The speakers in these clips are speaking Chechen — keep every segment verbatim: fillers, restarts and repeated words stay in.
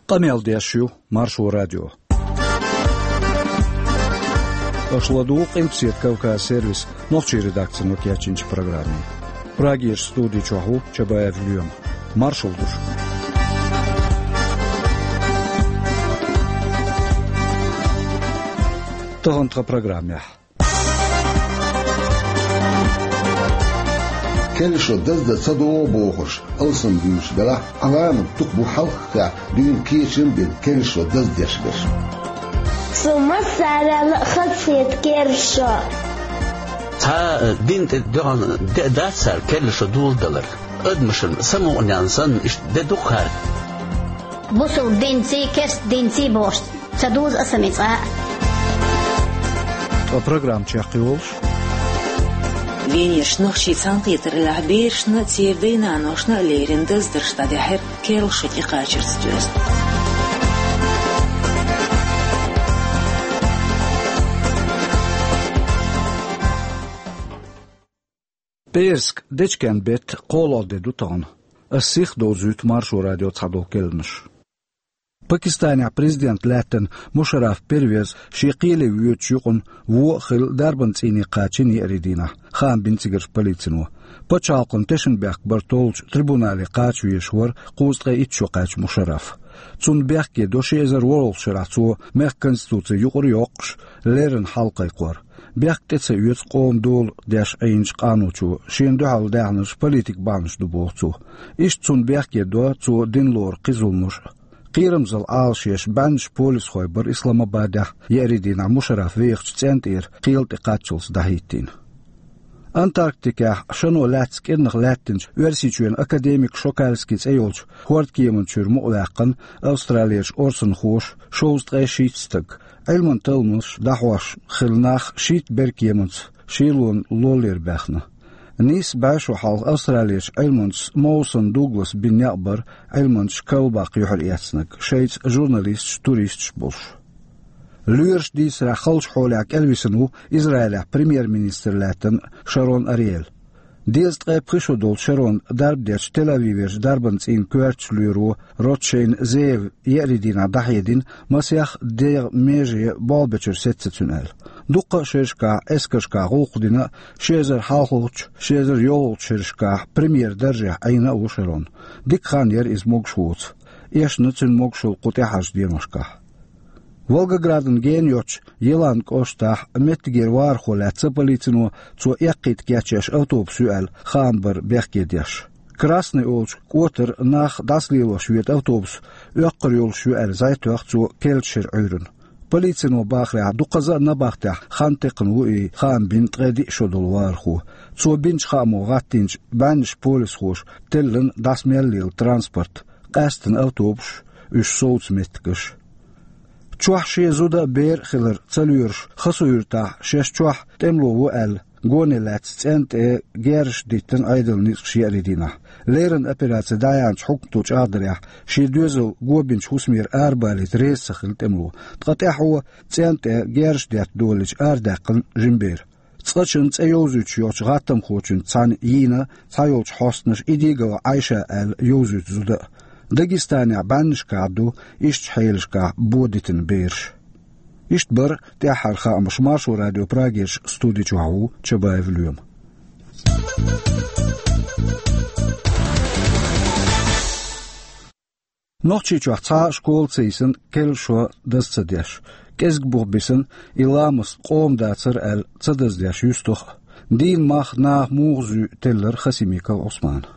Къамел деш ю Маршо радио. Аша ладугӀу Къилбаседа Кавказ сервисан нохчийн редакцино кечйинчу программе. Прагерчу студи чохь ву Чабаев Лоьма. Маршалла ду шуьга. Тахана тхан программехь. Керла шо даздан ца догӀу бохурш алсам дуьйцуш белахь, Ӏаламат дукха бу хьалххехь дуьйна кечам а бина керла шо даздеш берш. Со массарел а хазахета керла шо. Цхьа, э, дин тӀе дуьхьал де а дац цара керла шо доладалар. Адамашна самукъаненна санна иштта де ду-кх хӀара. Бусулба динций, керста динций бохуш ца дузу аса мицкъа а. Ткъа программа чекхйолуш. Венерчу нохчийн цхьаьнакхетараллехь берашна а, церан дай-наношна а леррина даздарш дӀадаьхьира керла шо тӀекхачарца доьзна. ПӀераска дечкен беттан кхоалгӀа де ду тахана. Ас сиха довзуьйту Маршо радион цхьадолу керланаш. Пакистанехь президент лаьттина Мушарраф Первез шен кхеле воьдучу юкъана вон а хилла дарбан цӀийне кхачийна еарин дийнахь, хаам бина цигарчу полицино. Пачхьалкхана тешнабехк бар толлучу трибунале кхача везаш вара кхузткъе итт шо кхаьчна Мушарраф. Цунна бехке до ши эзар ворхӀалгӀачу шарахь цо мехкан конституци юкъара йоккхуш, леррина хьал кхайкхор. Бехк тӀе ца оьцу къоман дола деш Ӏийначу къаночо, шена дуьхьал даьхнарш политикан бахьанаш ду, боху цо. Иштта цунна бехке до цо дина лору кхин зуламаш а. Кхерамзалла Ӏалашъеш бӀеннаш полисхой бара Исламабадехь еарин дийнахь Мушарраф вехачу цӀен тӀера кхел тӀе кхаччалц дӀахӀиттийна. Антарктикехь шано лаьцна кӀирнах лаьттинчу Оьрсийчоьнан академик Шокальский цӀе йолчу хӀордкеманан чуьра мукъаваьккхина Австралерчу орсанхоша шовзткъе шийтта стаг. Ӏилманан талламаш дӀахьош хилла нах шийтта беркеманца шелонан лоллера баьхна. Нийсса бӀе шо хьалха Австралерчу Ӏилманчас Моусон Дугласа бина некъ бара Ӏилманчаш калбаккха юьхьар эцнарг, шайца журналисташ, туристаш болуш. Лоьраш дийцарехь, халчу хьолехь кӀелвисина ву Израилехь премьер-министр лаьттина Шарон Ариель. Дезткъе пхи шо долчу Шаронна дарба дечу Тель-Авиверчу дарбан цӀийнан коьртачу лоьро Ротшейн Зеев еарин дийнахь дӀахьедина, масех дегӀан меже болх бечуьра сецна цуьнан аьлла. Дуккха а шерашкахь эскаршкахь гӀуллакх дина а, ши эзар хьалхалгӀачу, ши эзар йолхалгӀачу шерашкахь премьер даржехь Ӏийна а ву Шарон. Дика хан яра иза могуш воцу. Эшна цуьнан могушалла кху тӀаьхьарчу деношкахь. Волгоградан гена йоцчу Елан кӀоштахь меттигера вахархо лаьцна полицино, цо эккхийтта кечъеш автобус ю аьлла, хаам бара бехке деш. Красный олучу кӀотара нах дӀасалелош вега автобус оьккхар йолуш ю аьлла зӀе тоьхна цо керлачу шеран Ӏуьйранна. Полицино бахарехь, дукхаза а набахтехь хан текхна ву и, хаам бина ткъе диъ шо долу вахархо. Цо бинчу хаамо гӀаттийначу бӀеннаш полисхоша теллина дӀасамел лела транспорт, къаьстина автобусаш, уьш совцу меттигаш. Чохь шен зуда а, бер а хилар ца лоьруш, Хасавюртахь шаьш чохь тӀемало ву аьлла, гоне лаьцна цӀен тӀе герзаш диттина Ӏедалан ницкъаша еарин дийнахь. Леррина операци дӀаяьхьначу хьукмато чӀагӀдарехь, шен доьзал го бинчу хӀусамера арабалийта реза ца хилла тӀемало. Ткъа тӀаьхьо цӀен тӀе герзаш детта долалича арадаьккхина жима бер. Цкъачунна цӀе йовзуьйтуш йоцчу гӀаттамхочуьнца цхьаьна йийна цхьайолчу хьостанаша Идигова Ӏайша аьлла йовзуьйту зуда а. Дагестанехь бӀеннашкахь ду ишттачу хьелашкахь бо дитина бераш. Иштта бара тӀаьххьара хаамаш. Маршо радион Прагерчу студи чохь ву Чабаев Лоьма. Нохчийчохь цхьа а школа ца йисина керла шо даза ца деш. КӀезиг бух бисина и ламаст къоман дацара аьлла ца даздеш юьстах а. Дийнан мах наха муха зуьй теллира Хасимиков Ӏусмана.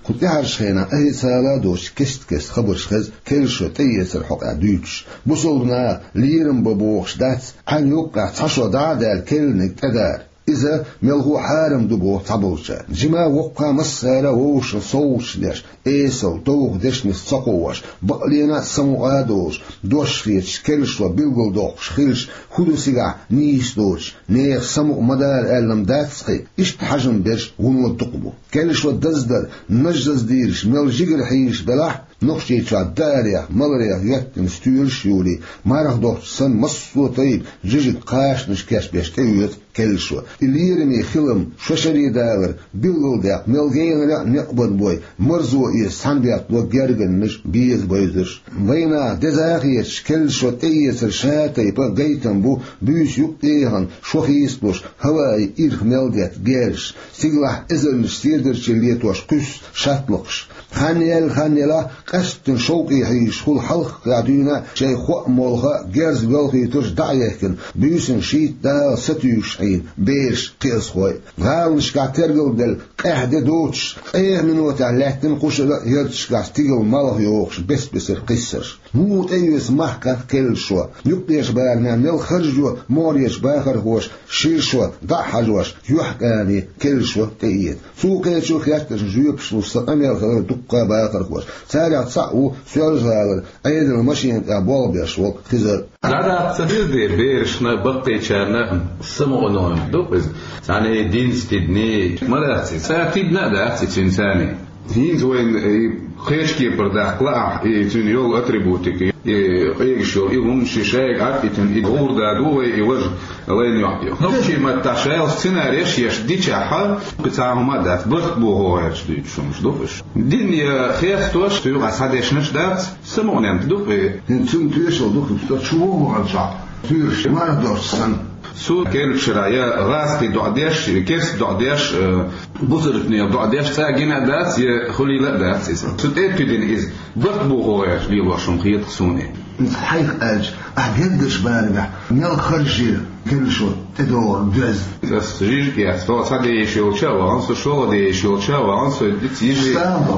Кху тӀаьхьарчу хенахь ахь а, цхьа а доцуш кест-кеста хабарш хеза керла шо тӀеэцаран хьокъехь дуьйцуш. Бусулба наха лерам бан бохуш дац, Ӏаьнан юккъехь цхьа шо дӀа а даьлла керланиг тӀедара. Иза мелхо а хьарам ду боху цхьаболчара. Жима а, воккха а массара а вовшашна совгӀаташ деш, эсала, довха дешнаш ца кхоош, бакъ лена а, самукъа а долуш, дош хеташ, керла шо билгалдоккхуш хилча, хӀун ду цигахь нийса доцуш, нехан самукъа ма дара аьлла-м дац-кх и, иштта хьажам берш вуно дукха бу. Керла шо даздар, наждаза дийраш мел жигара хьийзаш белахь а, Нохчийчохь даарех, маларех йоьттина стоьлаш а юлий, марха дохчу санна массо а тайпа жижиг кхачанаш кечбеш тӀеоьцу Керлашо. И лераме хилам шо шаре далар билгалдаьккха, мел генара а некъ бан бой, марзо эца цхьана бетта гергарнаш, беза байзарш. Вайнаха деза хеташ, Керлашо тӀеэцар ша тайпа гайтам бу, буьйса юкъ тӀехьа шо хийцалуш, хӀаваи ирх мел детта герзаш, цигалахь эзарнаш седарчий летош кхуьссуш шаттлакхаш. Хан яьлла, хан ялахь, къаьсттина шовкъе хьийзаш хуьлу хьалххе дуьйна а шайн хоа молха герз белхийтарш дӀа а яхкина, буьйсанна шийтта дагӀа сатуьйсуш хьийна бераш, кхиазхой. ГӀаланашкахь тергал делла къаьхьа де доцуш, ткъех минотехь лаьттина кхушара а ярташкахь стигала малх йохуш бес-бесара кхиссарш. Муха тӀеоьцу махках Керлашо? Юккъерчу барамехь мел харжо могӀарерчу бахархоша шира шо дӀа а хьажош, юьхькӀане Керлашо тӀеэца. Цо кхечу хеттаршна жоьпаш луш сан къамел хилира дуккха бахархоша. Царех цхьаъ ву Соьлжа-ГӀалара Ӏедалан машена тӀехь болх беш волу Хизар. ДӀадаккха ца деза дера берашна, баккхийчарна самукъане ду иза. Царна динца тидина, ма дац иза. Цара тидина а дац иза цуьнан царна. ХӀинца вайна и кхечу кепара даккха лаахь, и цуьнан йолу атрибутика, и къегаш йолу, и хӀуманаш шайга Ӏадбитина, и гӀур да ду вай, и важа лайн йоккху. Нохчийн маттахь шайла сценареш еш дичахьа, кхин цхьа хӀума а дац, барт бохо гӀерташ дуьйцуш хӀумаш ду уьш. Дин я хестош, цу юкъахь схьадешнаш дац, самукъаненна ду-кх и. ХӀинца цуьнан тоьшалла ду-кх, со чу ву вахана чохь, туьйраш мара доцуш санна. Цу Керлашара я гӀазкхий доӀа деш, керста доӀа деш, э, бусалбанийн доӀа деш цкъа гина а дац, я хуьлийла а дац иза. Цу тӀе а туьдина иза, барт бохо гӀерташ лелош хӀума хета-кх суна. Иза хьайх аьлча, ахь гергаш барамехь мел харжийра Керлашо тӀедогӀург доьзна? Ас жижиг яц, со цхьа де йиш йолча а вахана, со шолгӀа де йиш йолча а вахана, со диц йижи,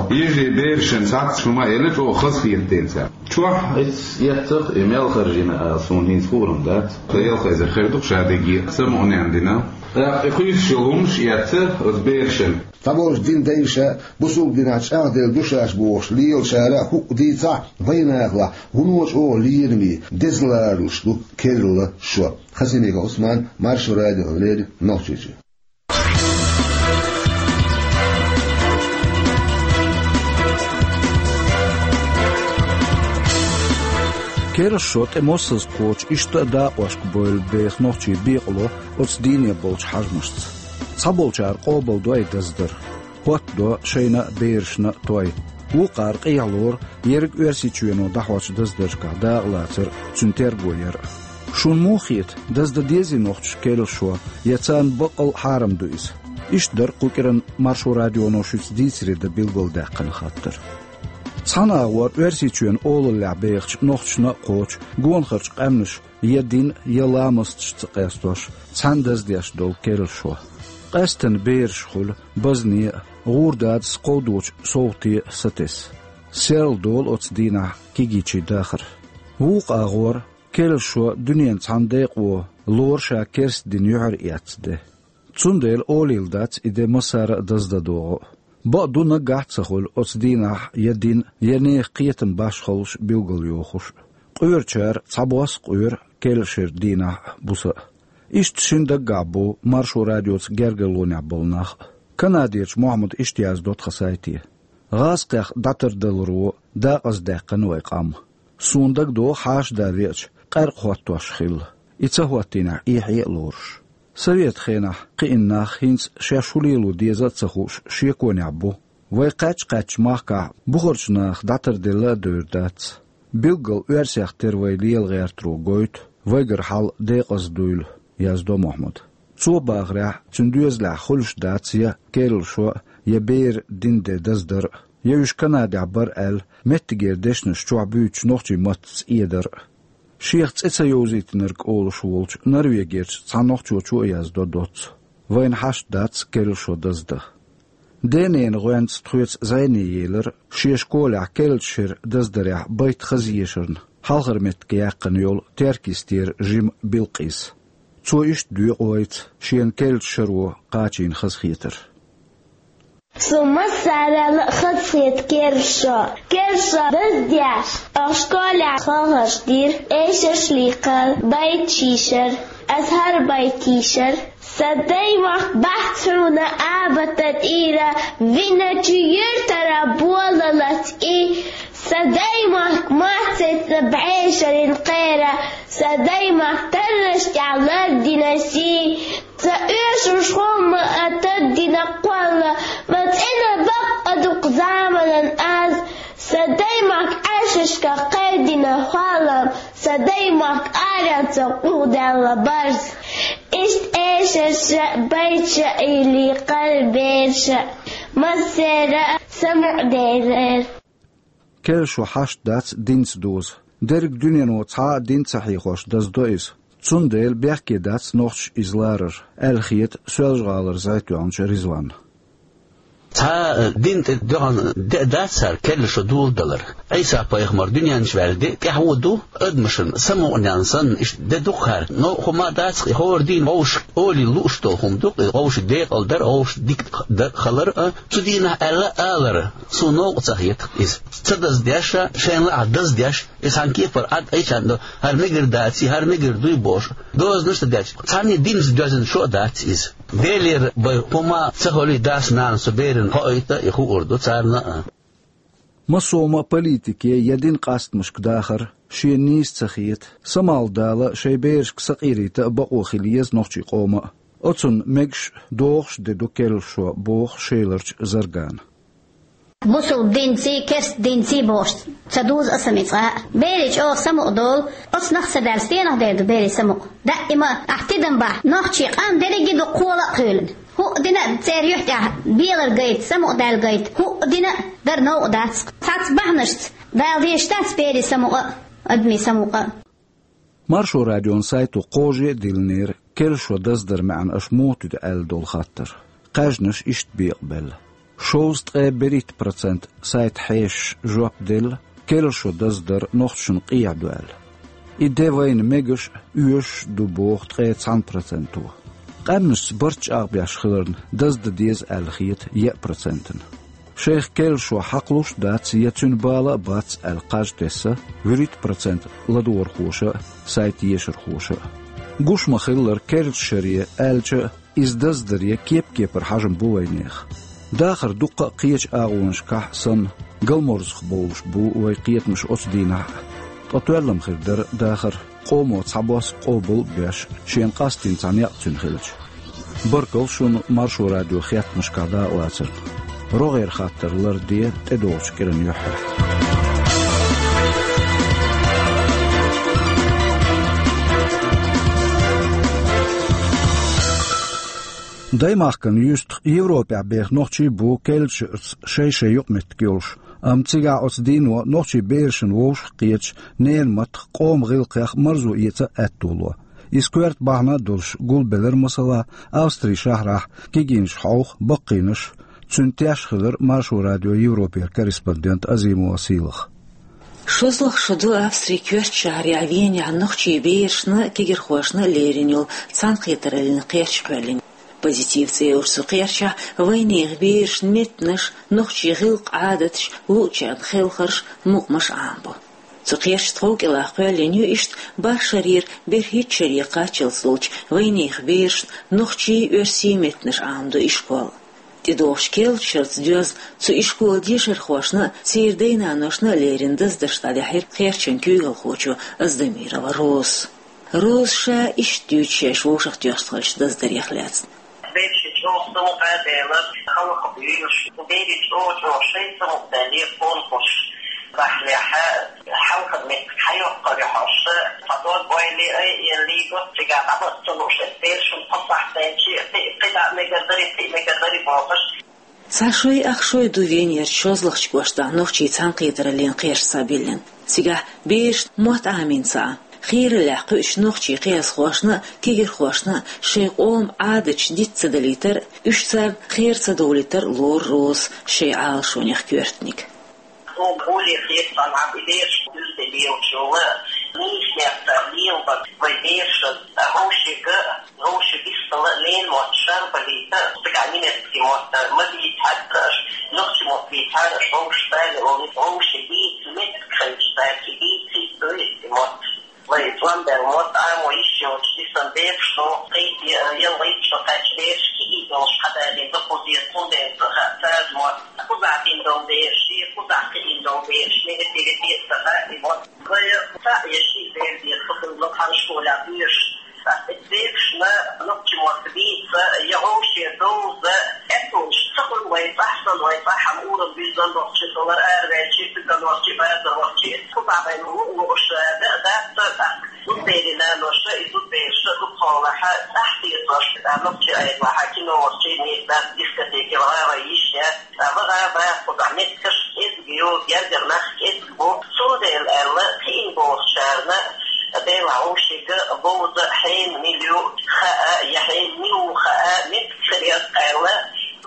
йижи берашна цхьацца хӀума а елла, чӀогӀа хазахета ден цара. Чохь иза эццахь и мел харжийна ала суна хӀинца хуур-м дац. Ткъа ялх эзар хир ду-кх ша дерриге а самукъаненна дина. ТӀаккха и хуьйсуш йолу хӀуманаш а эцна оцу берашна. Цхьаболчу динан дайша бусалба динехь чӀагӀделла ду шаьш бохуш лелачара а хӀуъа дийцахь, вайнахалахь вуно чӀогӀа лераме, деза ларалуш ду Керлашо. Хасимиков Ӏусман, Маршо радиона леррина, Нохчийчоь. Керлашо тӀе массаза кхочу иштта а дакъошка бевлла беха нохчий бекъало оцу дийне болчу хьажамашца. Цхьаболчара къобалдой даздар, хӀоттадо шайна а, берашна а той. Вукхара къехьа лору ерриг Оьрсийчоьно дӀахьочу даздаршкахь дакъалацар а, цуьнан терго яр а. Шуна муха хета, даздан дезий нохчаша Керлашо, я царна баккъал а хьарам ду иза? Иштта дара кху кӀиранан Маршо радионо шуьца дийцаре дан билгалдаьккхина хаттар. Цхьана агӀор Оьрсийчоьнан олаллехь бехачу нохчашна а кхочу гонахарчу къаьмнаша я дин, я ламасташ ца къестош, цхьаьна даздеш долу Керлашо. Къаьсттина бераш хуьлу базне а, гӀур дадас кховдочу совгӀате а сатесна. Серладолу оцу дийнахь кегийчийн дахар. Вукху агӀор Керлашо дуьненан цхьана декъо лору ша керста дин юьхьар эцна де. Цундела олийла дац и де массара а даздан догӀу а. Бакъду, наггахь а ца хуьлу оцу дийнахь я дин, я нехан кхетам башхаллаш билгалйохуш а. Къоьручара цхьабосса къоьру Керлашера дийнахь а, буса а. Иштта шина даггахь бу Маршо радиоца гергарлонехь болу нах а. Канадерчу Мохьмада иштта яздо тхан сайте: «ГӀазкхех дӀатардаларо дакъаздаьккхина вай къам. Суна дагадогӀу хьаша да веача, къаьркъа хӀоттош хилла, и ца хӀоттийнехь, эхье а лоруш. Советан хенахь кхиъна нах хӀинца шаьш хӀун лело деза а ца хууш шеконехь бу. Вай кхаьчча-кхаьчча махкахь бухарчу наха дӀатарделла а девр дац. Билггал оьрсех тера вай лела гӀертаро гойту, вайгара хьал декъаза дуйла», — яздо Мохьмада. Цо бахарехь, цуьнан доьзалехь хуьлуш дац я Керлашо а, я беран динан де даздар а, я уьш Канадехь бара аьлла, меттигера дешнаш чохь буьйцуш нохчийн маттаца эдар а. Шех цӀе ца йовзийтинарг олуш волчу Норвегерчу цхьа нохчочо а яздо доцца: «Вайна хьашт дац Керлашо даздан. Дененан гӀоьнца тхоьца зӀене елира шен школехь Керлачу шеран даздарехь байт хаза ешарна хьалхара меттиг яьккхина йолу Теркйистера жима Билкъис. Цо иштта доькъу вайца шена Керлачу шаро кхачийна хазахетар». Суна массарел а хазахета Керлашо. Керлашо даздеш, оха школехь хьехарш дира, эшарш лийкхира, байт шийшар. Ас хӀара байт йийшар: «Сан даймохк бац хьуна абатан тӀера, виначу юьртара болалаца и. Сан даймохк маццайцна бӀешарийн кхера, сан даймохк тарраш тӀехь лардина сий. Ца оьшуш хӀума а таддина кхолла, ма цӀена бакъ а дукха заманан аз, са даймахка Ӏаьшашка кхайдина хьоалам, са даймахка аренца къугӀдаьлла барз. Иштта эшарша, байча или кхалберша, массера самукъадерар. Керла шо хьашт дац динца доза. Дерриг дуьнено цхьа а дин ца хьехош даздо иза. Цундела бехке дац нохчаша иза ларар, аьлла хета Соьлжа-ГӀалара зӀе тоьхначу Ризванна. Цхьа а дин тӀе доьгӀна де а дац цара керла шо доладалар. Ӏийса-пайхамар дуьнен чу ваьлла де тӀаьхьо а ду, адамашна самукъаненна санна иштта де ду-кх хӀара. Но хӀума дац-кх, и хӀора дийнахь вовшашка олий лууш долу хӀума ду-кх, и вовшийн декъал дар, вовшашна дика дар хилар а, цу дийнахь аьлла а алар, суна новкъа ца хета-кх иза. Ца даздеш а, шайна лаахь даздеш, и цхьана кепара Ӏад айчарна до, хӀара мегар даций, хӀара мегар дуй бохуш, дозанаш а ца деш, цхьанне динца доьзна шо а дац иза. Делера бен хӀума ца хуьлий, дас-нанас цу берана хоуьйту, и хуур ду царна а. Массо а ма политике я дин къастамашка дахар шена нийса ца хета, самукъадала шайн берашка сакъерийта а бакъо хила еза нохчийн къоман а. Оцунна мегаш а, догӀуш а де ду керла шо, боху Шеларчу Заргана. Бусалба динций, керста динций бохуш ца дузу аса мицкъа а. Берий чӀогӀа самукъадолу, оцунах а ца даьлла, стенах дер ду берий самукъа? Даима ахь тидам бахь, нохчийн къам дерриге а ду кхола а кхоьлина. ХӀуъа дина а церан юьхь тӀехь белар гайта, самукъадаьлла гайта, хӀуъа дина а дара новкъа дац. Цхьацца бахьанашца Дала дезаш дац берийн самукъа а, адамийн самукъа а. Маршо радион сайто кхаже а диллинера керла шо даздаран маьӀна аша муха туьду аьлла долу хаттар. Кхаьжнаш иштта бекъабелла. Шовзткъе берхӀитта процент сайта хьешаша жоп делла, керла шо даздар нохчашна къехьа ду аьлла. И де вайна мегаш а, оьшуш а ду боху ткъе цхьана проценто. Къаьмнашца барт чӀагӀбеш хиларна, даздан деза аьлла хета еа процентана. Шайх керла шо хьакхалуш а дац, я цуьнан бала а бац аьлла кхаж тесна вуьрхӀитта процент ладогӀархоша а, сайта ешархоша а. Гуш ма-хиллара, керлачу шаре аьлча а, иза даздаре кеп-кепара хьажам бу вайнехан. Дахар дуккха а кхечу агӀонашкахь а санна, галморзах бовлуш бу вайн кхетамаш оцу дийнахь а. Ткъа тоьллам хир дара дахар, къомо цхьабосса къобал а беш, шена къастийна цхьа некъ цуьнан хилча. Баркалла шуна Маршо радион хеттамашкахь дакъалацарна. РогӀера хаттар ларде тӀедогӀучу кӀиран юьххьехь. Даймахкана юьстах Европехь беха нохчий бу керлачуьрца шай-шай юкъаметтиг йолуш, амма цигахь оцу дийно нохчийн берашна вовшах а кхеташ, ненан маттах, къоман гӀиллакхех марзо эца а аьтто ло. Иза коьрта бахьана а долуш гулбелира, масала, Австрин шахьарахь кегийнаш хьовха баккхийнаш. Цуьнан теш хилира Маршо радион Европера корреспондент Азимова Сийлаха. ШозлагӀа шо ду Австрин коьртачу шахьарехь Венехь нохчийн берашна а, кегирхошна а лерина йолу цхьаьнакхетараллин кхерч кхоьллина. «Позитив» цӀе йолчу цу кхерчахь вайнехан берашна меттанаш, нохчийн гӀиллакх-Ӏадаташ, луучарна хелхарш, мукъамаш Ӏамабо. Цу кхерчан тхов кӀелахь кхоьллина ю иштта бархӀ шарера берхӀитта шаре кхаччалц долчу вайнехан берашна нохчийн, оьрсийн меттанаш Ӏамадо ишкол. ТӀедогӀучу керлачу шарца доьзна, цу ишколан дешархошна а, церан дай-наношна а лерина даздарш дӀадаьхьира кхерчан куьйгалхочо Аздамирова Розас. Роза ша иштта дуьйцу шаьш вовшахтоьхна хиллачу даздарех лаьцна. Бераш чӀогӀа самукъадаьлла, хьалха буьйлуш, берийн чӀогӀа-чӀогӀа шайн самукъадаьлла, конкурс бахьанехь, хьалхара меттиг хьайоккхур ю хьовса, цхьа дог бойла а еллий го, цигахь дӀабаха ца лууш, берашна кхо сахьт даьлча, кхин, кхидӀа а мегар дарий, кхин а мегар дарий бохуш. Цхьа шой, ах шой ду Венерчу шозлагӀчу кӀоштахь нохчийн цхьаьнакхетараллин кхерч схьабиллина. Цигахь берашна мотт Ӏамийна ца Ӏа, хийраллехь кхуьучу нохчийн кхиазхошна а, кегирхошна а шайн къоман Ӏадаташ диц ца далийтар а, уьш царна кхера ца довлийтар а лору Розас шайн Ӏалашонех коьртаниг. Хьо гуле хетта, наб и бераш дуьзде лелачул, нийса меттиг лелабан вай берашна, вовшега, вовшега бистала ненан мотт шарбалийта, цигахь немецкий мотт ма дийцахьара аша, нохчийн мотт дийцахьара аша, вовшашца, вовшега дийца меттиг хилча, цаьрца дийцийта немецкий мотт. Вай тӀом бен мотт Ӏамо йиш йолчу дисан берашна, кхин а ялхийтта шо кхаьчча бераш кегий долуш хьадалийна ду кхузахь, цундела ца хаьа царна мотт. Кхузахь дина долу бераш, шен кхузахь кхиийна долу бераш, мегар дерг а ца хаьа и мотт. Вай цхьаъ я шиъ бер деза, хӀокхуьнга цхьана школехь доьшуш. Ткъа и берашна нохчийн мотт дийца Лугуша да дац, зудберина ноша, и зудберша дукхолаха, тахтиртош, а нохчи айдлаха, кино вахчи, не дац, дискотеки, вара вайиш я, а вара ва, куда меткаш, эзгио, гердер нах, эзгбо, цундел элла, кин бохчарна, бела ушига, боза, хен, милю, хаа, я хен, милу, хаа, метк, срез, элла,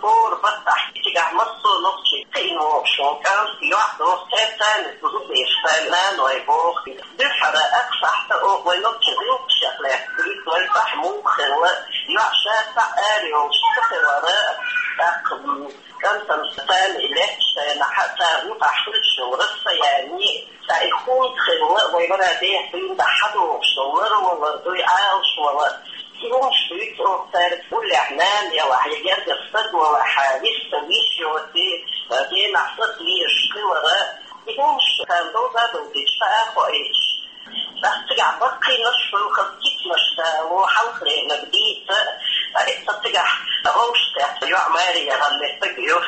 Кор баттахь, цигахь массо а нохчий кхиъна вогӀу шун кӀант, йоӀ доху цаьрца, зудбераш царна наной боху. Дуьххьара акхсахьта оха вай нохчий гӀиллакхашех лаьцна, вай цхьа муха хилла, йоӀ ша цхьаъ ара йолуш ца хилара, тӀаккха, м, кӀантана царна и лаьтташ шайна хьа цара юкъахь хуьлуш йолу расстояние, цхьа и хӀунда хилла, вай вара деха дуьйна дахьа догӀуш йолу лара валар дуй, Ӏалаш валар. И хӀумаш дуьйцу оха цаьрга уллехь нана ялахь, я гергара стаг валахь, вист виш йоций, генахь стаг везаш хилара. И хӀумаш царна довза довзуьйтуш, хаа а хоуьйтуш. ТӀаккха цигахь баккхийнаш хуьлу, хаза кицанаш дало, хьалхаренаг дийца, ткъа цигахь гӀовшах тесна йоӀ маре яхана меттиг ю.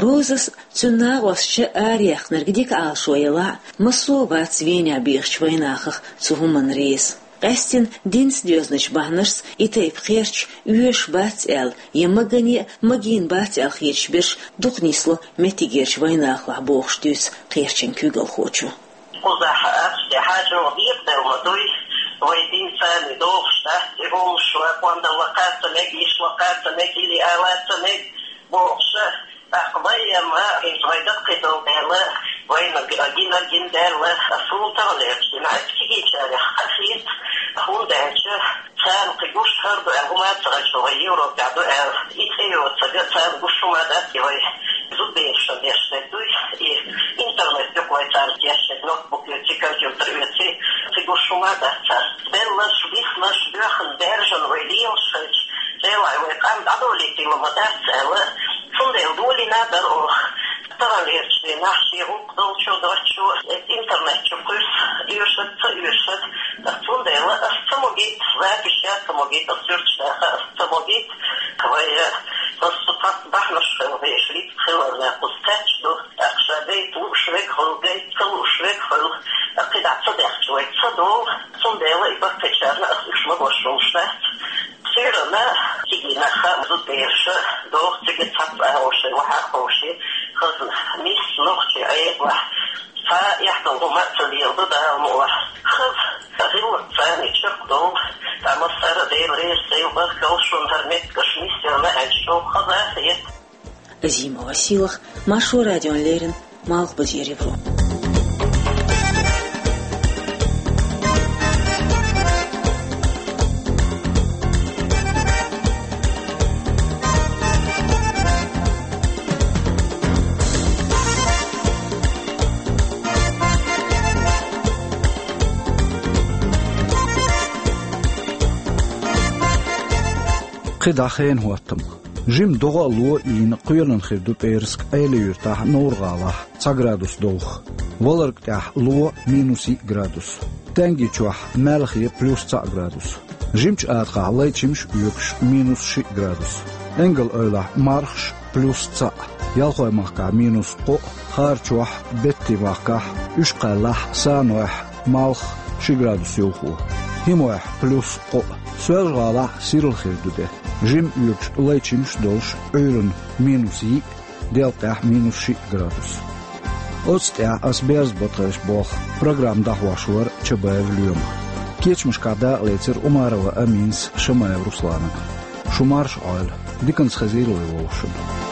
Розас цуьнан накъосташа араяьккхинарг дика Ӏалашо ялахь а, массо а вац Венехь бехачу вайнахах цу хӀуманна реза. Къаьстина динца доьзначу бахьанашца и тайпа кхерч оьшуш бац аьлла, я магане а, магийна бац аьлла хеташ берш дукха нисло меттигерчу вайнахалахь, бохуш дуьйцу кхерчан куьйгалхочо. Кхузахь ахча тӀе хьаьжча, декъаделла ма дуй, вай динца а догӀуш дац и хӀумаш, вай къондалла кхаьчна мега, йиш лакхаьчна мега, или алаца мега, бохуш а, тӀаккха вай а ма, хӀинца вай даккхийдолу дела, вайна г-, гина гина даьлла, суна таханлерчу динахь, аса кегийчарех къахета, хӀунда аьлча царна кхин гуш хӀара ду аьлла, хӀума а ца хезча, вай Европехь ду аьлла, и цӀе йоцург царна гуш хӀума дац, и вай зудберашна деш дерг дуй, и интернет юкъа вай царна деш дерг, ноутбук оьций, компьютер оьций, кхин гуш хӀума дац царна. Белларш, виснарш, боьхна, баьржина вай лелаш хилча, Делахь вай къам дӀадолийтийла ма дац аьлла, цундела долийна дара оха. Таханлерчу дийнахь шен гӀуллакх долчо, доцчо, эцу интернет чу кхуьссу, оьшург ца оьшург, ткъа цундела ас ца могийта, запись ян ца могийта, ас суьрташ даха ас ца могийта, вай, ас цу цхьацца бахьанаш хила везаш, листа хиларна кхуза кхаьчна ду, тӀаккха ша гайта лууш верг хуьлу, гайта ца лууш верг хуьлу, ткъа кхидӀа ца даьхча вай ца долу, цундела и баккхийчарна ас уьш ма бошуш дац. Суьйранна кегий нах а, зудбераш а доху цига цхьацца агӀор шайн вахьа а ховший, хазна, нийса нохчий Ӏедалахь, цхьа а эхь долу хӀума а ца леладо Дала мукъалахь. Хаза гӀиллакх царна чекхдолу, ткъа массара а Дела реза хуьлда, баркалла шуна, хӀара меттигаш нийса яьлла аьлча, чӀогӀа хаза а хета. Азимова Силах, Маршо радиона леррина, Малхбузера Европа. КхидӀа хенан хӀоттам. Жимма догӀа а ло а йийна, кхоьлина хир ду пӀераска Ӏела-Юьртахь, Новр-ГӀалахь цхьа градус довха. Валарг тӀехь ло, минус йиъ градус. Тенги чохь, Маьлхе, плюс цхьаъ градус. Жимачу Адахахь лай чимаш а оьгуш, минус шиъ градус. Энгал-Эвлахь мархаш, плюс цхьаъ. Ялхой-махкахь минус кхоъ, Харачохь, Беттин-махкахь, Уьш-Кхаьллахь, Санойхь, Малх ши градус йовхо. ХӀимойхь плюс кхоъ. Соьлжа-ГӀалахь сирла хир ду де. Жимма оьгуш лай чимаш а долуш, Ӏуьйранна минус йиъ, Делкъехь минус шиъ градус. Оцу тӀехь ас берза батхайш болх. Программа дӀахьош вара Чабаев Лоьма. Кечамашкахь дакъалецира Умарова Аминас, Шамаев Руслана. Шу марша Ӏойла, диканца хезийла вай вовшашна.